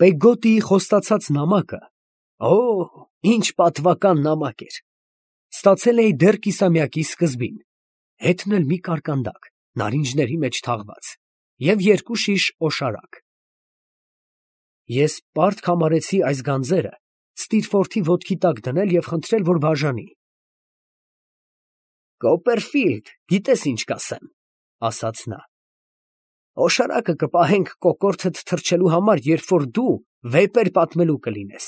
Պեգոտիի խոստացած նամակը, ինչ պատվական նամակ էր, ստացել էի դեռ կիսամյակի սկզբին, հետն էլ մի կարկանդակ, նարինջների մեջ թաղված, և 2 շիշ օշարակ։ Ես պարտք համարեցի այս գանձերը Ստիրֆորդի ոտքի տակ դնել և խնդրել, որ բաժանի։ «Կոպերֆիլդ, գիտես ինչ կասեմ, ֊ ասաց նա, ֊ օշարակը կպահենք կոկորդդ թռչելու համար, երբ որ դու վեպեր պատմելու կլինես»։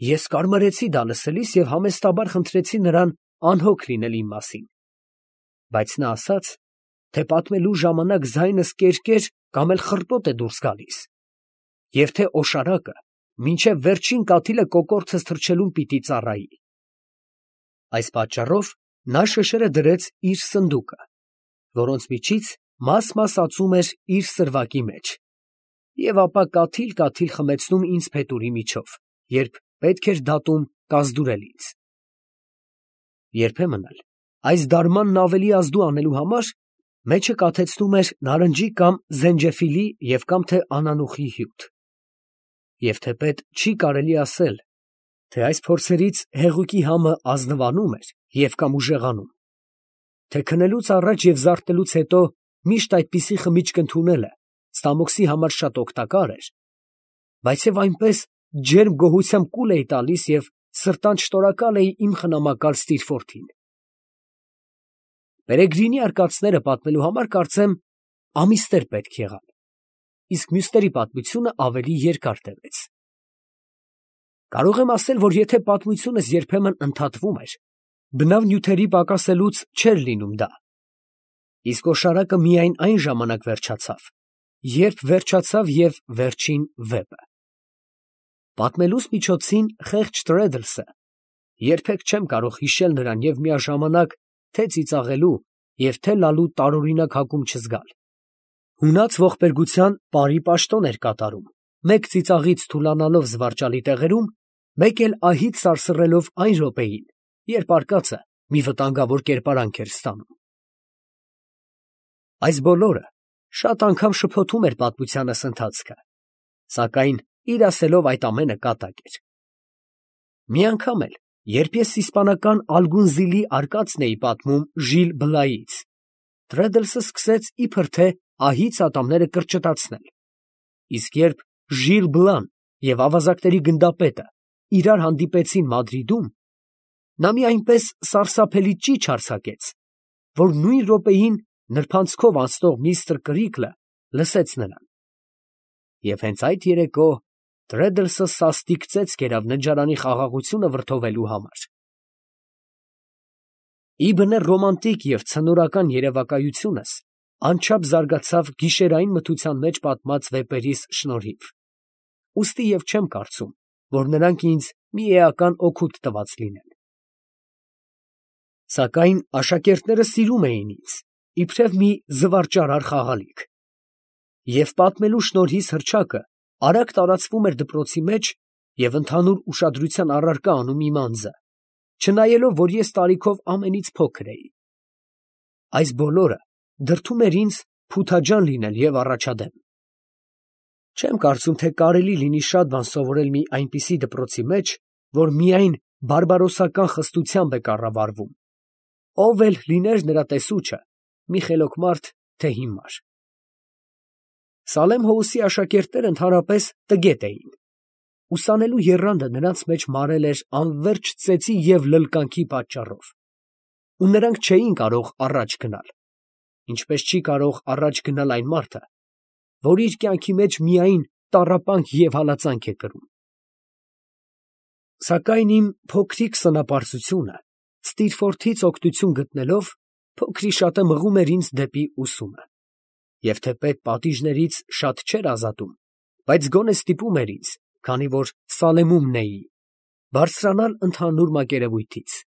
Ես կարմրեցի դա լսելիս և համեստաբար խնդրեցի նրան անհոգ լինել իմ մասին, բայց նա ասաց, թե պատմելու ժամանակ ձայնս կերկեր կամ էլ խռպոտ է դուրս գալիս, և թե օշարակը մինչև վերջին կաթիլը կոկորդս թռչելուն պիտի ծառայի։ Այս պատճառով նա շշերը դրեց իր սնդուկը, որոնց միջից մաս ածում էր իր սրվակի մեջ, և ապա կաթիլ խմեցնում ինձ փետուրի միջով, երբ պետք էր դատում կազդուրել ինձ։ Երբեմն էլ, այս դարմանն ավելի ազդու անելու համար, մեջը կաթեցնում էր նարնջի կամ զենջեֆիլի և կամ թե անանուխի հյութ։ Եվ թեպետ չի կարելի ասել, թե այս փորձերից հեղուկի համը ազնվանում էր և կամ ուժեղանում, թե քնելուց առաջ և զարթնելուց հետո միշտ այդպիսի խմիչք ընդունելը ստամոքսի համար շատ օգտակար էր, բայց և այնպես ջերմ գոհությամբ կուլ էի տալիս և սրտանց շնորհակալ էի իմ խնամակալ Ստիրֆորդին։ Պերեգրինի արկածները պատմելու համար, կարծեմ, ամիսներ պետք եղան, իսկ մյուսների պատմությունը ավելի երկար տևեց։ Կարող եմ ասել, որ եթե պատմությունս երբեմն ընդհատվում էր, բնավ նյութերի պակասելուց չէր լինում դա, իսկ օշարակը միայն այն ժամանակ վերջացավ, երբ վերջացավ և վերջին վեպը։ Պատմելուս միջոցին խեղճ Տրեդլսը երբեք չեմ կարող հիշել նրան և միաժամանակ թե ծիծաղելու և թե լալու տարօրինակ հակում չզգալ։ Հունած ողբերգության պարի պաշտոն էր կատարում, մեկ ծիծաղից թուլանալով զվարճալի տեղերում, մեկ էլ ահից սարսռելով այն րոպեին, երբ արկածը մի վտանգավոր կերպարանք էր ստանում։ Այս բոլորը շատ անգամ շփոթում էր պատմությանս ընթացքը, սակայն իր ասելով այդ ամենը կատակ էր։ Մի անգամ էլ, երբ ես իսպանական Ալգունզիլի արկածն էի պատմում Ժիլ Բլայից, Տրեդլսը սկսեց իբր թե ահից ատամները կրճտացնել, իսկ երբ Ժիլ Բլան և ավազակների գնդապետը իրար հանդիպեցին Մադրիդում, նա մի այնպես սարսափելի ճիչ արձակեց, որ նույն րոպեին նրբանցքով անցնող միստր Կրիկլը լսեց նրան։ Եվ հենց այդ երեկո Տրեդլսը սաստիկ ծեծ կերավ ննջարանի խաղաղությունը վրդովելու համար։ Իբնը ռոմանտիկ և ցնորական երևակայությունս անչափ զարգացավ գիշերային մթության մեջ պատմած վեպերիս շնորհիվ, ուստի և չեմ կարծում, որ նրանք ինձ մի էական օգուտ տված լինեն։ Սակայն աշակերտները սիրում էին ինձ, իբրև մի զվարճարար խաղալիք, և պատմելու շնորհիս հռչակը արագ տարածվում էր դպրոցի մեջ և ընդհանուր ուշադրության առարկա անում իմ անձը, չնայելով, որ ես տարիքով ամենից փոքր էի։ Այս բոլորը դրդում էր ինձ փութաջան լինել և առաջադեմ։ Չեմ կարծում, թե կարելի լինի շատ բան սովորել մի այնպիսի դպրոցի մեջ, որ միայն բարբարոսական խստությամբ է կառավարվում, ով էլ լիներ նրա տեսուչը, մի խելոք մարդ, թե հիմար։ Սալեմ Հոուսի աշակերտները ընդհանրապես տգետ էին։ Ուսանելու եռանդը նրանց մեջ մարել էր անվերջ ծեծի և լլկանքի պատճառով, ու նրանք չէին կարող առաջ գնալ, ինչպես չի կարող առաջ գնալ այն մարդը, որ իր կյանքի մեջ միայն տառապանք և հալածանք է կրում։ Սակայն իմ փոքրիկ սնապարծությունը Ստիրֆորդից օգնություն գտնելով, փոքրիշատը մղում էր ինձ դեպի ուսումը, և թեպետ պատիժներից շատ չէր ազատում, բայց գոնե ստիպում էր ինձ, քանի որ Սալեմումն էի, բարձրանալ ընդհանուր մակերևույթից։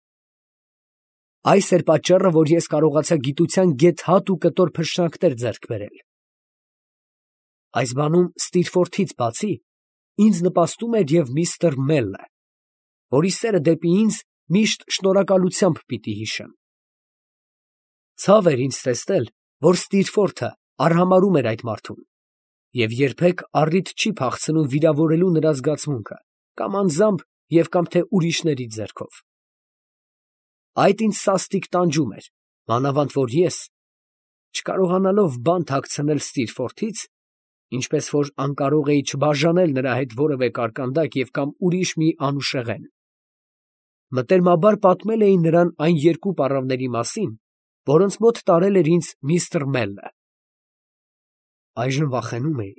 Այս էր պատճառը, որ ես կարողացա գիտության գեթ հատ ու կտոր փշրանքներ ձեռք բերել։ Այս բանում Ստիրֆորդից բացի, ինձ նպաստում էր և միստր Մելը, որի սերը դեպի ինձ միշտ շնորհակալությամբ պիտի հիշեմ։ Ցավ էր ինձ տեսնել, որ Ստիրֆորդը արհամարհում էր այդ մարդուն, և երբեք առիթ չի փախցնում վիրավորելու նրա զգացմունքը, կամ անձամբ և կամ թե ուրիշների ձեռքով։ Այդ ինձ սաստիկ տանջում էր, մանավանդ որ ես, չկարողանալով բան թաքցնել Ստիրֆորթից, ինչպես որ անկարող էի չբաժանել նրա հետ որևէ կարկանդակ և կամ ուրիշ մի անուշեղեն, մտերմաբար պատմել էի նրան այն երկու պառավների մասին, որոնց մոտ տարել էր ինձ միստր Մելը։ Այժմ վախենում էի,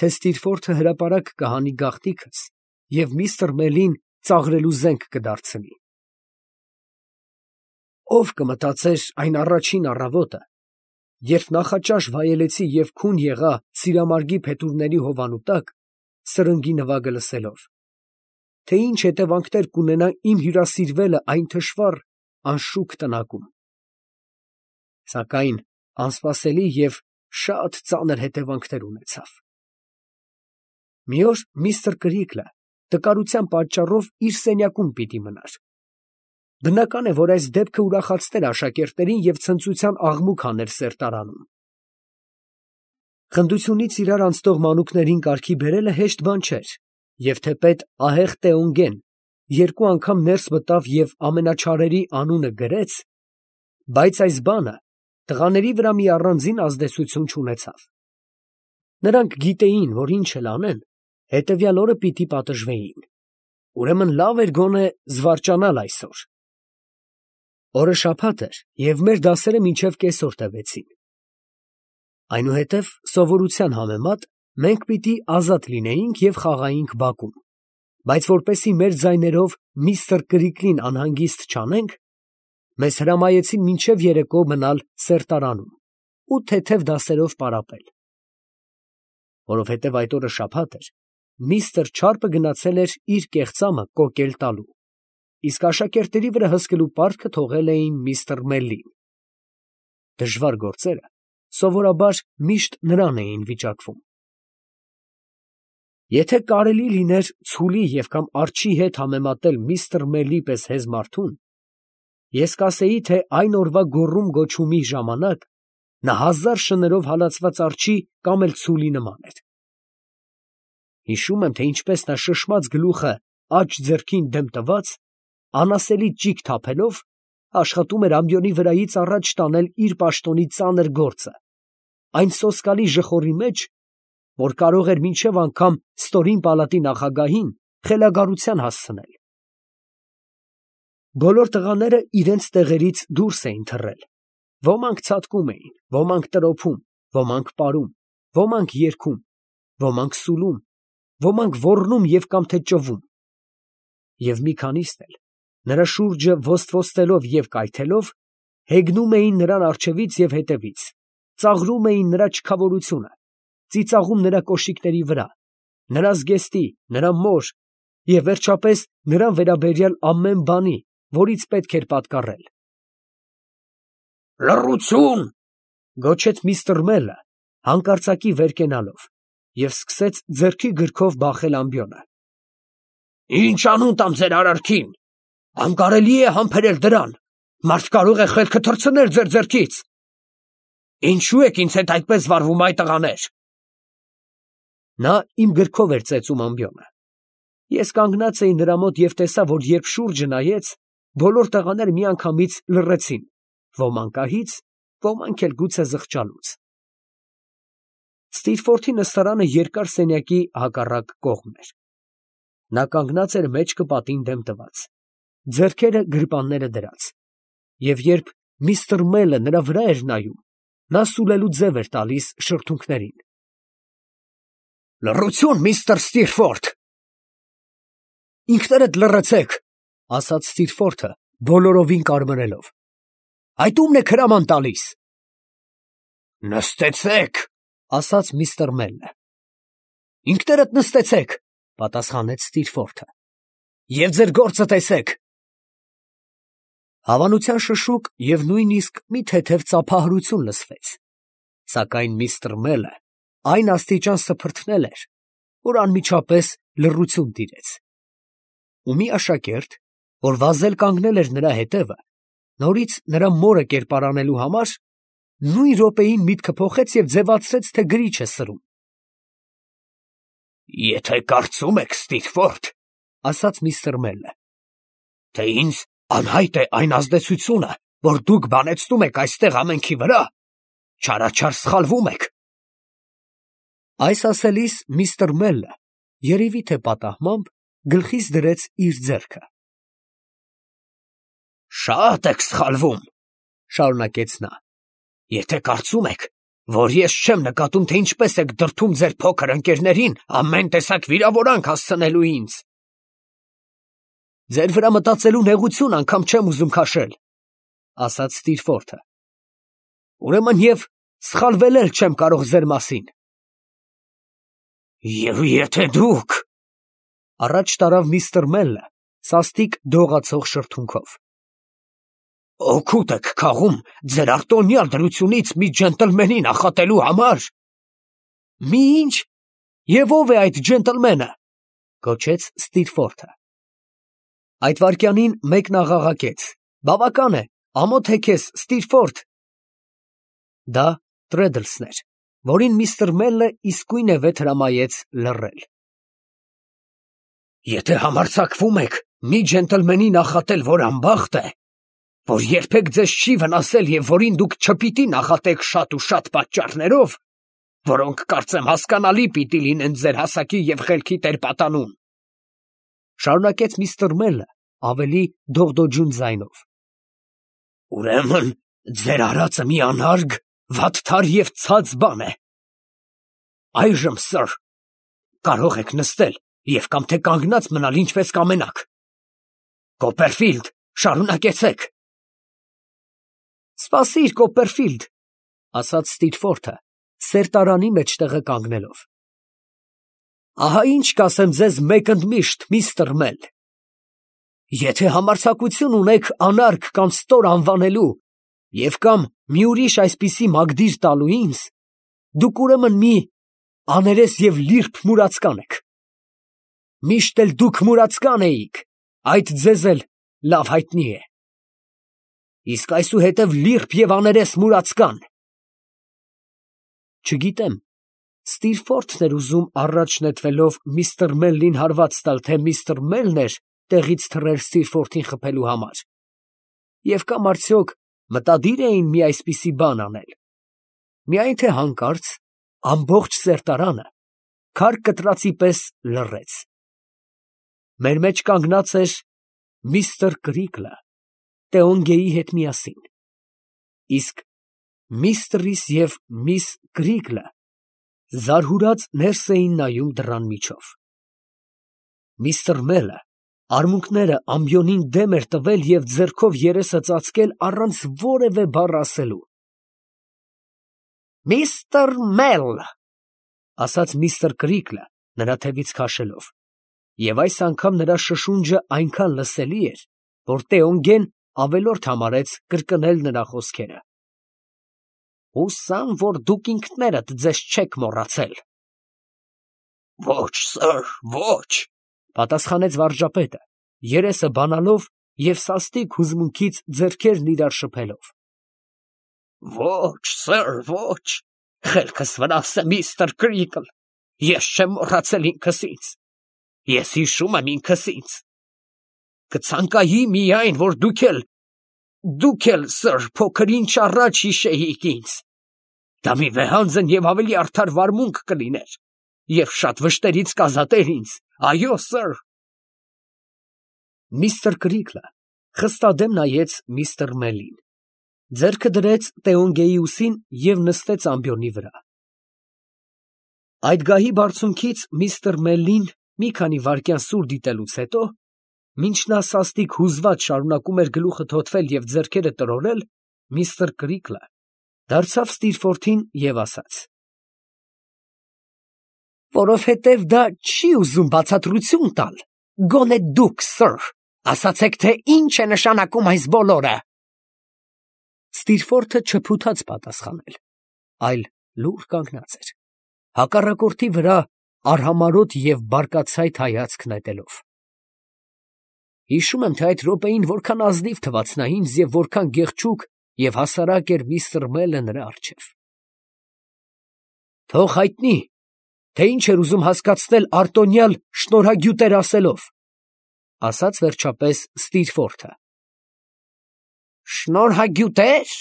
թե Ստիրֆորթը հրապարակ կհանի գաղտնիքս և միստր Մելին ծաղրելու զենք կդարձնի։ Ո՞վ կմտածեր այն առաջին առավոտը, երբ նախաճաշ վայելեցի և քուն եղա սիրամարգի փետուրների հովանու տակ, սրնգի նվագը լսելով, թե ինչ հետևանքներ կունենա իմ հյուրասիրվելը այն թշվառ, անշուք տնակում։ Սակայն անսպասելի և շատ ծանր հետևանքներ ունեցավ։ Մի օր միստր Կրիքլը տկարության պատճառով իր սենյակում պիտի մնար։ Բնական է, որ այս դեպքը ուրախացներ աշակերտներին և ցնծության աղմուկ հաներ սերտարանում։ Խնդությունից իրար անցնող մանուկներին կարգի բերելը հեշտ բան չէր, և թեպետ ահեղ Տեոնգեն երկու անգամ ներս մտավ և ամենաչարերի անունը գրեց, բայց այս բանը տղաների վրա մի առանձին ազդեցություն չունեցավ։ Նրանք գիտեին, որ ինչ էլ անեն, հետևյալ օրը պիտի պատժվեին։ Ուրեմն լավ էր գոնե զվարճանալ այսօր։ Օրը շաբաթ էր, և մեր դասերը մինչև կեսօր տևեցին։ Այնուհետև սովորության համեմատ մենք պիտի ազատ լինեինք և խաղայինք բակում, բայց որպեսզի մեր ձայներով միստր Կրիքլին անհանգիստ չանենք, մեզ հրամայեցին մինչև երեկո մնալ սերտարանում ու թեթև դասերով պարապել։ Որովհետև այդ օրը շաբաթ էր, միստր Չարպը գնացել էր իր կեղծամը կոկել տալու, իսկ աշակերտների վրա հսկելու պարտքը թողել էին միստր Մելլին։ Դժվար գործերը սովորաբար միշտ նրան էին վիճակվում։ Եթե կարելի լիներ ցուլի և կամ արջի հետ համեմատել միստր Մելլի պես հեզ մարդուն, ես կասեի, թե այն օրվա գոռում֊գոչումի ժամանակ նա 1000 շներով հալածված արջի կամ էլ ցուլի նման էր։ Հիշում եմ, թե ինչպես նա շշմած գլուխը աջ ձեռքին դեմ տված, անասելի ճիգ թափելով, աշխատում էր ամբիոնի վրայից առաջ տանել իր պաշտոնի ծանր գործը, այն սոսկալի ժխորի մեջ, որ կարող էր մինչև անգամ ստորին պալատի նախագահին խելագարության հասցնել։ Բոլոր տղաները իրենց տեղերից դուրս էին թռել, ոմանք ցատկում էին, ոմանք տրոփում, ոմանք պարում, ոմանք երգում, ոմանք սուլում, ոմանք ոռնում և կամ թե ճովում։ Եվ մի քանիսն էլ, նրա շուրջը ոսթվոսթելով և կայթելով, հեգնում էին նրան առջևից և հետևից, ծաղրում էին նրա չքավորությունը, ծիծաղում նրա կոշիկների վրա, նրա զգեստի, նրա մոր և վերջապես նրան վերաբերյալ ամեն բանի, որից պետք էր պատկառել։ «Լռություն!» գոչեց միստր Մելը, հանկարծակի վեր կենալով, և սկսեց ձեռքի գրքով բախել ամբիոնը։ «Ինչ անուն տամ ձեր արարքին, անկարելի է համբերել դրան, մարդ կարող է խելքը թռցնել ձեր ձեռքից։ Ինչո՞ւ եք ինձ հետ այդպես վարվում, այ տղաներ»։ Նա իմ գրքով էր ծեծում ամբիոնը։ Ես կանգնած էի նրա մոտ և տեսա, որ երբ շուրջը նայեց, բոլոր տղաները միանգամից լռեցին, ոմանք ահից, ոմանք էլ գուցե զղջալուց։ Ստիրֆորթի նստարանը երկար սենյակի հակառակ կողմն էր։ Նա կանգնած էր մեջքը պատին դեմ տված, ձեռքերը գրպանները դրած, և երբ միստր Մելը նրա վրա էր նայում, նա սուլելու ձև էր տալիս շրթունքներին։ «Լռություն, միստր Ստիրֆորթ»։ «Ինքներդ լռեցեք», ասաց Ստիրֆորթը, բոլորովին կարմրելով։ «Այդ ո՞ւմն եք հրաման տալիս»։ «Նստեցեք», ասաց միստր Մելը։ «Ինքներդ նստեցեք», պատասխանեց Ստիրֆորթը, «և ձեր գործը տեսեք»։ Հավանության շշուկ և նույնիսկ մի թեթև ծափահարություն լսվեց, սակայն միստր Մելը այն աստիճան սփրթնել էր, որ անմիջապես լռություն տիրեց։ Ու մի աշակերտ, որ վազել կանգնել էր նրա հետևը, նորից նրա մորը կերպարանելու համար, նույն րոպեին միտքը փոխեց և ձևացրեց, թե գրիչ է սրում։ Եթե կարծում եք, Ստիլֆորդ, ասաց միստր Մելը, թե ինձ անհայտ է այն ազդեցությունը, որ դուք բանեցնում եք այստեղ ամենքի վրա, չարաչար սխալվում եք։ Այս ասելիս միստր Մելը, երևի թե պատահմամբ, գլխից դրեց իր ձեռքը։ Շատ եք սխալվում, շարունակեց նա, եթե կարծում եք, որ ես չեմ նկատում, թե ինչպես եք դրդում ձեր փոքր ընկերներին ամեն տեսակ վիրավորանք հասցնելու ինձ։ Ձեր վրա մտածելու նեղություն անգամ չեմ ուզում քաշել, ասաց Ստիլֆորդը։ Ուրեմն և սխալվել էլ չեմ կարող ձեր մասին։ Եվ եթե դուք… Առաջ տարավ միստր Մելը, սաստիկ դողացող շրթունքով։ Օգուտ եք քաղում ձեր արտոնյալ դրությունից մի ջենտլմենի նախատելու համար։ Մի ինչ, և ով է այդ ջենտլմենը, գոչեց Ստիլֆորդը։ Այդ վայրկյանին մեկն աղաղակեց. Բավական է, ամոթ է քեզ, Ստիլֆորդ։ Դա Տրեդլսն էր, որին միստր Մելը իսկույնևեթ հրամայեց լռել։ Եթե համարձակվում եք մի ջենտլմենի նախատել, որ անբախտ է, որ երբեք ձեզ չի վնասել և որին դուք չպիտի նախատեք շատ ու շատ պատճառներով, որոնք կարծեմ հասկանալի պիտի լինեն ձեր հասակի և խելքի տեր-պատանուն, շարունակեց միստր Մելը ավելի դողդոջուն ձայնով, ուրեմն ձեր արածը մի անարգ, վատթար և ցած բան է։ Այժմ, սըր, կարող եք նստել և կամ թե կանգնած մնալ, ինչպես կամենաք։ Կոպերֆիլդ, շարունակեցեք։ Սպասիր, Կոպերֆիլդ, ասաց Ստիլֆորդը, սերտարանի մեջտեղը կանգնելով։ Ահա ինչ կասեմ ձեզ մեկընդմիշտ, միստր Մել. եթե համարձակություն ունեք անարգ կամ ստոր անվանելու և կամ մի ուրիշ այսպիսի մագդիր տալու ինձ, դուք ուրեմն մի աներես և լիրբ մուրացկան եք։ Միշտ էլ դուք մուրացկան էիք, այդ ձեզ էլ լավ հայտնի է։ Իսկ այսուհետև լիրբ և աներես մուրացկան։ Չգիտեմ, Ստիլֆորդն էր ուզում առաջ նետվելով միստր Մելլին հարված տալ, թե միստր Մելն էր տեղից թռել Ստիլֆորդին խփելու համար, և կամ արդյոք մտադիր էին մի այսպիսի բան անել։ Միայն թե հանկարծ ամբողջ սերտարանը քար կտրածի պես լռեց։ Մեր մեջ կանգնած էր միստր Կրիկլը Տեոնգեի հետ միասին, իսկ միստրիս և միս Կրիկլը զարհուրած ներս էին նայում դռան միջով։ Միստր Մելը արմունկները ամբիոնին դեմ էր տվել և ձեռքով երեսը ծածկել առանց որևէ բառ ասելու։ Միստր Մել, ասաց միստր Կրիկլը նրա թևից քաշելով, և այս անգամ նրա շշունջը այնքան լսելի էր, որ Տեոնգեն ավելորդ համարեց կրկնել նրա խոսքերը։ Հուսամ, որ դուք ինքներդ ձեզ չեք մոռացել։ Ոչ, սըր, ոչ, պատասխանեց վարժապետը, երեսը բանալով և սաստիկ հուզմունքից ձեռքերն իրար շփելով։ Ոչ, սըր, ոչ, խելքս վնաս է, միստր Կրիկլ, ես չեմ մոռացել ինքս ինձ, ես հիշում եմ ինքս ինձ։ Կցանկայի միայն, որ դուք էլ, սըր, փոքր ինչ առաջ հիշեիք ինձ, դա մի վեհանձն և ավելի արդար վարմունք կլիներ, և շատ վշտերից կազատեր ինձ, այո, սըր։ Միստր Կրիկլը խստադեմ նայեց միստր Մելին, ձեռքը դրեց Տեոնգեի ուսին և նստեց ամբիոնի վրա։ Այդ գահի բարձունքից միստր Մելլին մի քանի վայրկյան սուր դիտելուց հետո, մինչ նա սաստիկ հուզված շարունակում էր գլուխը թոթվել և ձեռքերը տրորել, միստր Կրիկլը դարձավ Ստիլֆորդին և ասաց. Որովհետև դա չի ուզում բացատրություն տալ, գոնե դուք, սըր, ասացեք, թե ինչ է նշանակում այս բոլորը։ Ստիլֆորդը չփութաց պատասխանել, այլ լուռ կանգնած էր, հակառակորդի վրա արհամարհոտ և բարկացայտ հայացք նետելով։ Հիշում եմ, թե այդ րոպեին որքան ազնիվ թվաց նա ինձ և որքան գեղեցիկ և հասարակ էր միստր Մելը նրա առջև։ Թող հայտնի, թե ինչ էր ուզում հասկացնել արտոնյալ շնորհագյուտեր ասելով, ասաց վերջապես Ստիրֆորթը։ Շնորհագյուտեր,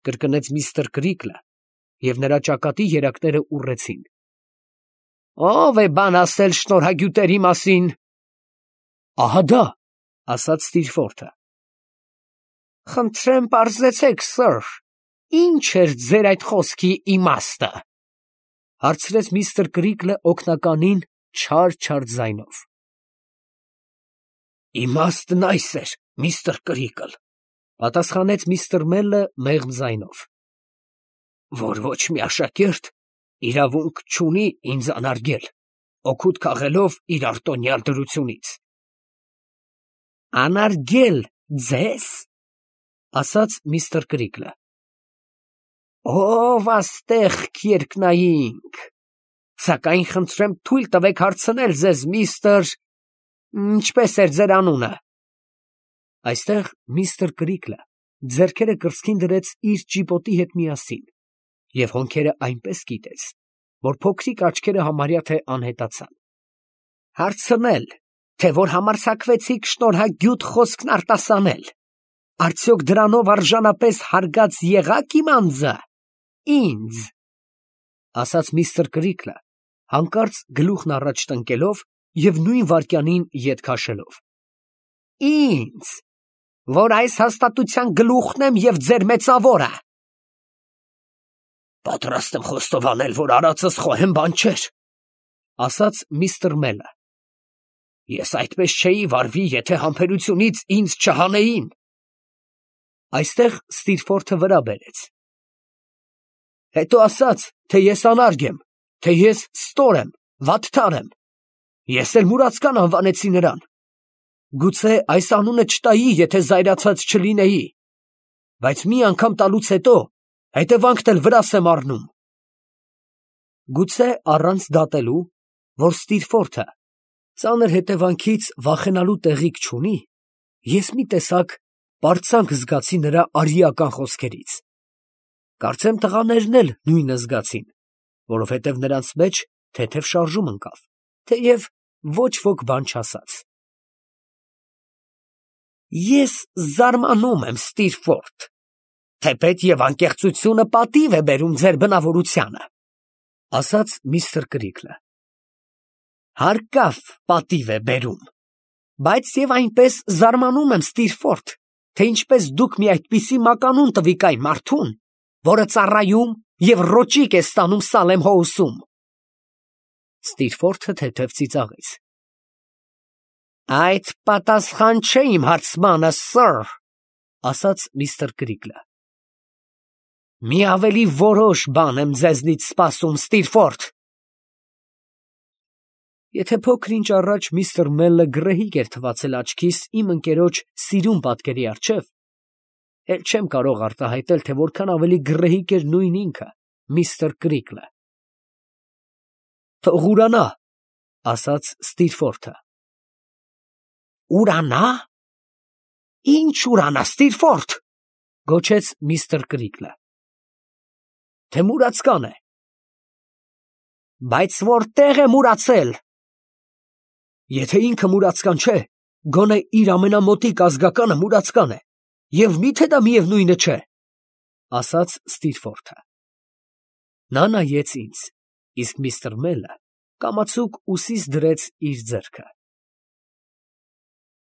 կրկնեց միստր Կրիկլը, և նրա ճակատի երակները ուռեցին։ Ո՞վ է բան ասել շնորհագյուտերի մասին։ Ահա դա, ասաց Ստիրֆորթը։ Խնդրեմ պարզեցեք, սըր, ինչ էր ձեր այդ խոսքի իմաստը, հարցրեց միստր Կրիկլը օգնականին չար ձայնով։ Իմաստն այս էր, միստր Կրիկլ, պատասխանեց միստր Մելը մեղմ ձայնով, որ ոչ մի աշակերտ իրավունք չունի ինձ անարգել, օգուտ քաղելով իր արտոնյալ դրությունից։ Անարգել ձեզ, ասաց միստր Կրիկլը։ Ով աստեղք երկնայինք, սակայն խնդրեմ թույլ տվեք հարցնել ձեզ, միստր, ինչպես էր ձեր անունը։ Այստեղ միստր Կրիկլը ձեռքերը կրծքին դրեց իր ճիպոտի հետ միասին և հոնքերը այնպես կիտեց, որ փոքրիկ աչքերը համարյա թե անհետացան։ Հարցնել, թե որ համարձակվեցիք շնորհագյուտ խոսքն արտասանել, արդյոք դրանով արժանապես հարգած եղա՞ք իմ անձը, ինձ, ասաց միստր Կրիկլը, հանկարծ գլուխն առաջ տնկելով և նույն վայրկյանին ետ քաշելով։ Ինձ, որ այս հաստատության գլուխն եմ և ձեր մեծավորը։ Պատրաստ եմ խոստովանել, որ արածս խոհեմ բան չէր, ասաց միստր Մելը։ Ես այդպես չէի վարվի, եթե համբերությունից ինձ չհանեին։ Այստեղ Ստիրֆորթը վրա բերեց։ Հետո ասաց, թե ես անարգ եմ, թե ես ստոր եմ, վատթար եմ։ Ես էլ Մուրացկան անվանեցի նրան։ Գուցե այս անունը չտայի, եթե զայրացած չլինեի, բայց մի անգամ տալուց հետո հետևանքն էլ վրաս եմ առնում։ Գուցե առանց դատելու, որ Ստիրֆորթը ծանր հետևանքից վախենալու տեղիք չունի, ես մի տեսակ պարծանք զգացի նրա արիական խոսքերից։ Կարծեմ տղաներն էլ նույնը զգացին, որովհետև նրանց մեջ թեթև շարժում ընկավ, թեև ոչ ոք բան չասաց։ Ես զարմանում եմ, Ստիրֆորթ, թեպետ և անկեղծությունը պատիվ է բերում ձեր բնավորությանը, ասաց միստր Կրիկլը։ Հարկավ պատիվ է բերում, բայց և այնպես զարմանում եմ, Ստիրֆորթ, թե ինչպես դուք մի այդպիսի մականուն տվիք այն մարդուն, որը ծառայում և ռոճիկ է ստանում Սալեմ Հոուսում։ Ստիրֆորթը թեթև ծիծաղեց։ Այդ պատասխան չէ իմ հարցմանը, սըր, ասաց միստր Կրիկլը։ Մի ավելի որոշ բան եմ ձեզնից սպասում, Ստիրֆորթ։ Եթե փոքր ինչ առաջ միստր Մելը գռեհիկ էր թվացել աչքիս իմ ընկերոջ սիրուն պատկերի առջև, էլ չեմ կարող արտահայտել, թե որքան ավելի գռեհիկ էր նույն ինքը, միստր Կրիկլը։ Թող ուրանա, ասաց Ստիրֆորթը։ Ուրանա։ Ինչ ուրանա, Ստիրֆորթ, գոչեց միստր Կրիկլը։ Թե մուրացկան է։ Բայց որտեղ է մուրացել։ Եթե ինքը մուրացկան չէ, գոնե իր ամենամոտիկ ազգականը մուրացկան է, և մի՞թե դա միևնույնը չէ, ասաց Ստիրֆորթը։ Նա նայեց ինձ, իսկ միստր Մելը կամացուկ ուսիս դրեց իր ձեռքը։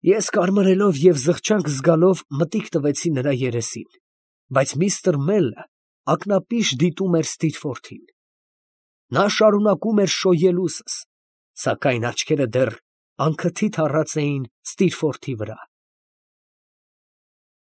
Ես կարմրելով և զղջանք զգալով մտիկ տվեցի նրա երեսին, բայց միստր Մելը ակնապիշ դիտում էր Ստիրֆորթին։ Նա շարունակում էր շոյել ուսս, սակայն աչքերը դեռ անքթիթ առած էին Ստիրֆորթի վրա։